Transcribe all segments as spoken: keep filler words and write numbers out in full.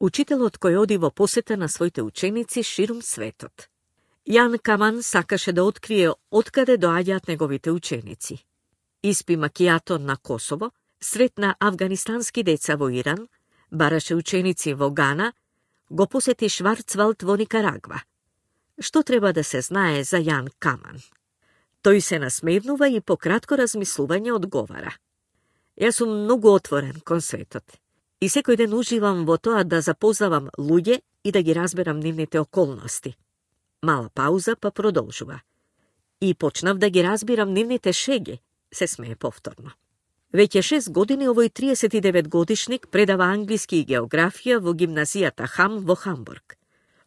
учителот кој оди во посета на своите ученици ширум светот. Јан Каман сакаше да открие откаде доаѓаат неговите ученици. Испи макијато на Косово, сретна афганистански деца во Иран, бараше ученици во Гана, го посети Шварцвалд во Никарагва. Што треба да се знае за Јан Каман? Тој се насмевнува и по кратко размислување одговара. Јас сум многу отворен кон светот и секој ден уживам во тоа да запознавам луѓе и да ги разберам нивните околности. Мала пауза, па продолжува. И почнав да ги разбирам нивните шеги, се смее повторно. Веќе шест години овој триесет и девет годишник предава англиски и географија во гимназијата Хам во Хамбург.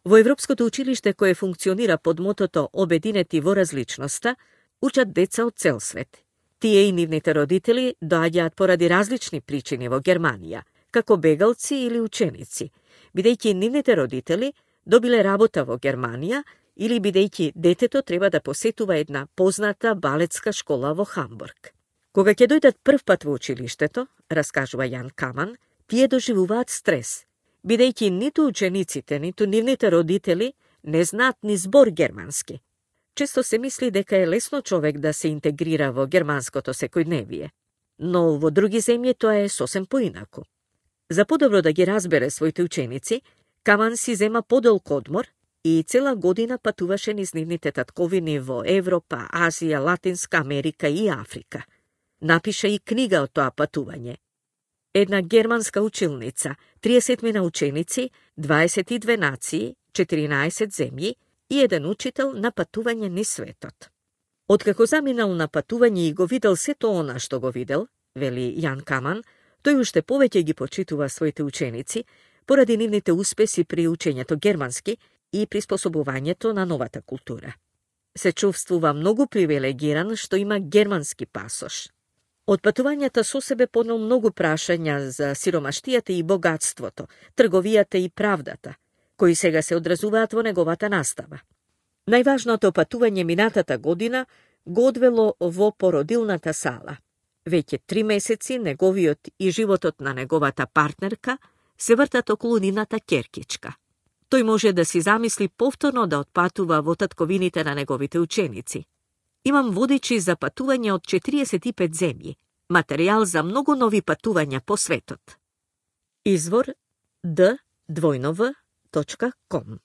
Во Европското училиште кое функционира под мотото Обединети во различноста, учат деца од цел свет. Тие и нивните родители доаѓаат поради различни причини во Германија, како бегалци или ученици, бидејќи нивните родители добиле работа во Германија или бидејќи детето треба да посетува една позната балетска школа во Хамбург. Кога ќе дојдат прв пат во училиштето, раскажува Јан Каман, тие доживуваат стрес, бидејќи ниту учениците, ниту нивните родители не знаат ни збор германски. Често се мисли дека е лесно човек да се интегрира во германското секојдневие, но во други земји тоа е сосем поинаку. За подобро да ги разбере своите ученици, Каман си зема подолг одмор и цела година патуваше низ нивните татковини во Европа, Азија, Латинска Америка и Африка. Напиша и книга од тоа патување. Една германска училница, триесетмина ученици, дваесет и две нации, четиринаесет земји и еден учител на патување низ светот. Откако заминал на патување и го видел сето она што го видел, вели Јан Каман, тој уште повеќе ги почитува своите ученици поради нивните успеси при учењето германски и приспособувањето на новата култура. Се чувствува многу привилегиран што има германски пасош. Од патувањата со себе понел многу прашања за сиромаштијата и богатството, трговијата и правдата, кои сега се одразуваат во неговата настава. Најважното патување минатата година го одвело во породилната сала. Веќе три месеци неговиот и животот на неговата партнерка се вртат околу нивната ќеркичка. Тој може да си замисли повторно да отпатува во татковините на неговите ученици. Имам водичи за патување од четириесет и пет земји, материјал за многу нови патувања по светот. Извор д двојно в точка ком